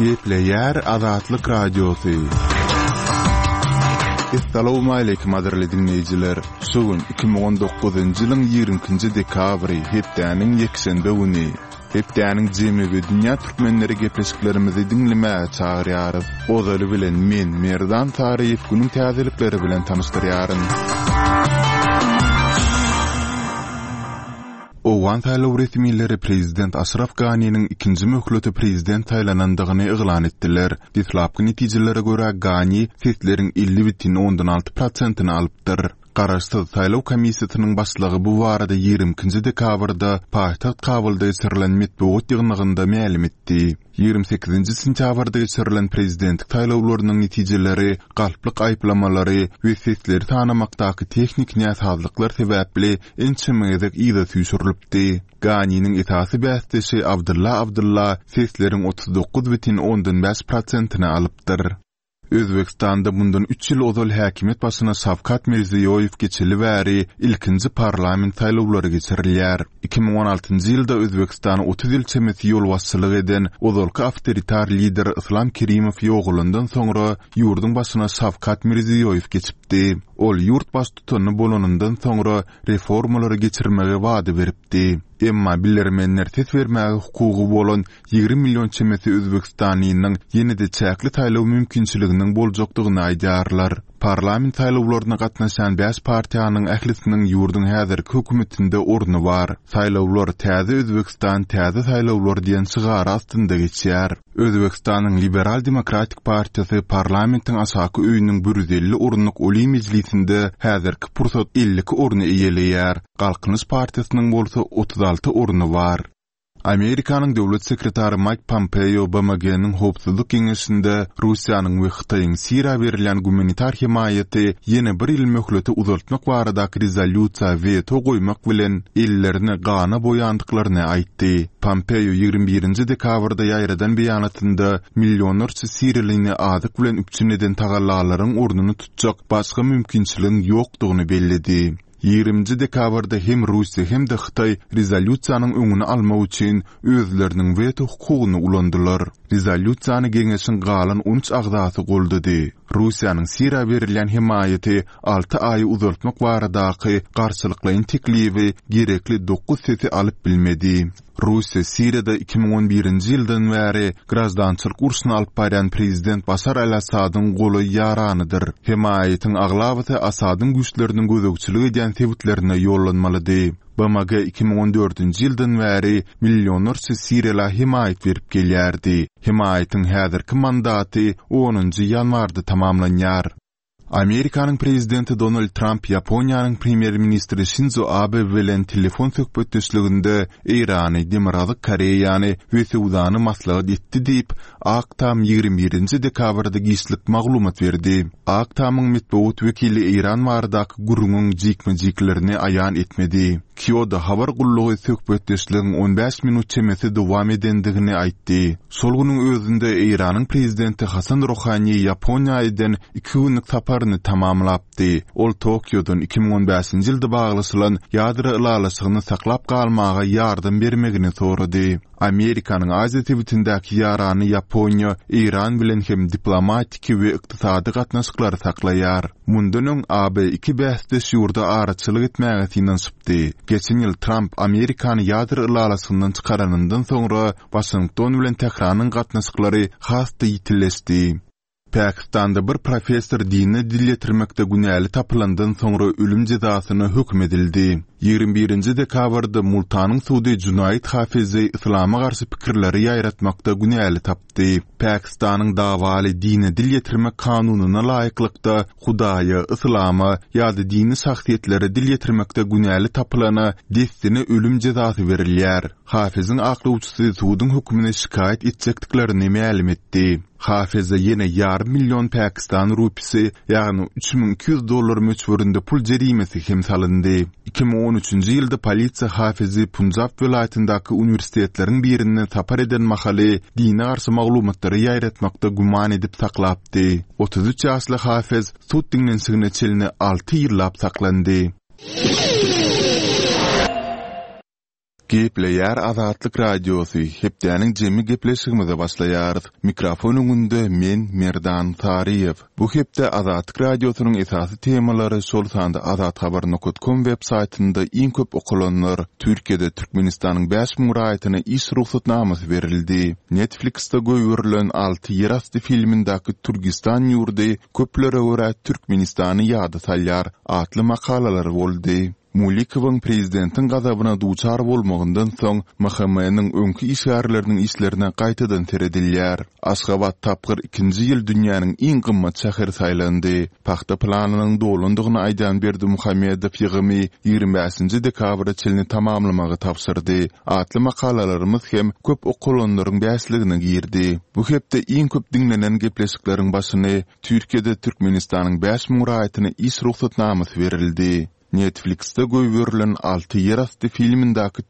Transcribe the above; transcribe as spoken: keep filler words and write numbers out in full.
Gepleýär Azatlyk Radiosy. Essalawmaleýkim gadyrly diňleýjiler! Şu gün iki müň on dokuzynjy ýylyň ýigrimi ikinji dekabry, hepdäniň ýekşenbe güni. Hepdäniň jemi we dünýä türkmenleri gepleşiklerimizi diňlemäge çagyrýarys. Ozaly bilen men, Merdan Saryýew günüň täzelikleri bilen tanyşdyrýaryn. Owgan saýlaw resmileri prezident Aşraf Ganiniň ikinji möhlete prezident saýlanandygyny yglan etdiler. Deslapky netijelere görä, Gani sesleriň elli bütin ondan alty prosentini alypdyr. Garaşsyz saýlaw komissiýasynyň başlygy bu barada ýigrimi ikinji dekabrda paýtagt Kabulda geçirilen metbugat ýygnagynda mälim etdi. Ýigrimi sekizinji sentýabrda geçirilen prezidentlik saýlawlarynyň netijeleri galplyk aýyplamalary we sesleri sanamakdaky tehniki näsazlyklar sebäpli ençeme gezek yza süýşürilipdi. Ganiniň esasy bäsdeşi Abdylla Abdylla sesleriň otuz dokuz bütin ondan bäş prosentini alypdyr. Özbegistanda mundan üç ýyl ozal häkimiýet başyna Şawkat Mirziýoýew geçeli bäri ilkinji parlament saýlawlary geçirilýär. Iki müň on altynjy ýylda Özbegistana otuz ýyl çemesi ýolbaşçylyk eden ozalky awtoritar lider Yslam Kerimow ýogalandan soňra ýurduň başyna Şawkat Mirziýoýew geçipdi. Ol ýurt baştutany bolanyndan soňra reformalary geçirmegi wada beripdi. Emma bilermenler ses bermäge hukugy bolan ýigrimi million çemesi özbegistanlynyň ýene-de çäkli saýlaw mümkinçiliginiň boljakdygyny aýdýarlar. Parlament saýlawlaryna gatnaşýan bäş partiýanyň ählisiniň ýurduň häzirki hökümetinde orny bar. Saýlawlar Täze Özbegistan, täze saýlawlar diýen şygary astynda geçýär. Özbegistanyň Liberal-demokratik partiýasy parlamentiň aşaky öýüniň bir ýüz elli orunlyk Oliý Mejlisinde häzirki pursat elli iki orny eýeleýär. Galkynyş partiýasynyň bolsa otuz alty orny bar. Amerikanyň döwlet sekretary Maýk Pompeo B M G-niň Howpsuzlyk Geňeşinde Russiýanyň we Hytaýyň Siriýa berilýän gumanitar hemaýaty ýene bir ýyl möhlete uzaltmak baradaky rezolýusiýa weto goýmak bilen ellerini gana boýandyklaryny aýtdy. Pompeo ýigrimi birinji dekabrda ýaýradan beýanatynda millionlarça siriýalyny azyk bilen üpjün eden tagallalaryň ornuny tutjak başga mümkinçiligiň ýokdugyny belledi. Ýigriminji dekabrda hem Russiýa hem-de Hytaý rezolýusiýanyň öňüni almak üçin özleriniň weto hukugyny ulandylar. Rezolýusiýany geňeşiň galan on üç agzasy goldady. Russiýanyň Siriýa berilýän hemaýaty alty aýy uzaltmak baradaky garşylyklaýyn teklibi gerekli dokuz sesi alyp bilmedi. Russiýa Siriýada iki müň on birinji ýyldan bäri graždançylyk urşuny alyp barýan prezident Başar al-Assadyň golaý ýaranydyr. Hemaýatyň aglabasy Assadyň güýçleriniň gözegçilik edýän sebitlerine ýollanmalydy. B M G iki müň on dördünji ýyldan bäri millionlarça siriýala hemaýat berip gelýärdi. Hemaýatyň häzirki mandaty onunjy ýanwarda tamamlanýar. Amerikanyň prezidenti Donald Tramp Ýaponiýanyň premýer-ministri Şinzo Abe bilen telefon söhbetdeşliginde Eýrany, Demirgazyk Koreýany we söwdany maslahat etdi diýip, Ak Tam ýigrimi birinji dekabrda giçlik maglumat berdi. Ak Tamyň metbugat wekili Eýran baradaky gürrüňiň jikme-jiklerini aýan etmedi. Kyodo habar gullugy söhbetdeşligiň on bäş minut çemesi dowam edendigini aýtdy. Şol günüň özünde Eýranyň prezidenti Hasan Rohani Ýaponiýa eden iki günlük saparyny tamamlapdy. Ol Tokiodan iki müň on bäşinji ýylda baglaşylan ýadro ylalaşygyny saklap galmaga ýardam bermegini sorady. Amerikanyň Aziýa sebitindäki ýarany Ýaponiýa Eýran bilen hem diplomatiki we ykdysady gatnaşyklary saklaýar. Mundan öň A B iki bäsdeş ýurda araçylyk etmäge synanyşypdy. Geçen ýyl Tramp Amerikany ýadro ylalaşygyndan çykaranyndan soňra Waşington bilen Tähranyň gatnaşyklary has-da ýitileşdi. Pakistanda bir professor dine dil ýetirmekde günäli tapylandan soňra ölüm jezasyna höküm edildi. Ýigrimi birinji dekabrda Multanyň sudy Junaid Hafizi yslama garşy pikirleri ýaýratmakda günäli tapdy. Pakistanyň dawaly dine dil ýetirmek kanunyna laýyklykda Hudaýa, yslama ýa-da dini şahsyýetlere dil ýetirmekde günäli tapylana dessine ölüm jezasy berilýär. Hafiziň aklawçysy suduň hökümine şikaýat etjekdiklerini mälim etdi. Hafize ýene ýarym million pakistan rupisi, ýagny üç müň iki ýüz dollar möçberinde pul jerimesi hem salyndy. Iki müň on üçünji ýylda polisiýa Hafizi Punjab welaýatyndaky uniwersitetleriň birinden sapar eden mahaly dine garşy maglumatlary ýaýratmakda güman edip saklapdy. Otuz üç ýaşly Hafiz sud diňlenişigine çenli alty ýyllap saklandy. Gepleýär Azatlyk Radiosy, Hepdäniň jemi gepleşigimize başlaýarys. Mikrofon öňünde men, Merdan Saryýew. Bu hepde Azatlyk Radiosynyň esasy temalary, şol sanda azathabar nokat kom web saýtynda iň köp okalanlar, Türkiýede Türkmenistanyň bäş müň raýatyna iş rugsatnamasy berildi, Netflix-de goýberilen alty ýerasty filmindäki Türgistan ýurdy köplere görä Türkmenistany ýada salýar atly makalalar boldy. Mulikowyň prezidentiň gazabyna duçar bolmagyndan soň, MHM-niň öňki işgärleriniň işlerine gaýtadan seredilýär. Aşgabat tapgyr ikinji ýyl dünýäniň iň gymmat şäheri saýlandy. Pagta planynyň dolandygyny aýdýan Berdimuhamedow ýygymy ýigrimi bäşinji dekabra çenli tamamlamagy tabşyrdy. Atly makalalarymyz hem köp okalanlaryň bäşligine girdi. Bu hepde iň köp diňlenen gepleşikleriň başyny Türkiýede Türkmenistanyň bäş müň raýatyna iş rugsatnamasy berildi. Netflix-de goýberilen Alty ýerasty filmindäki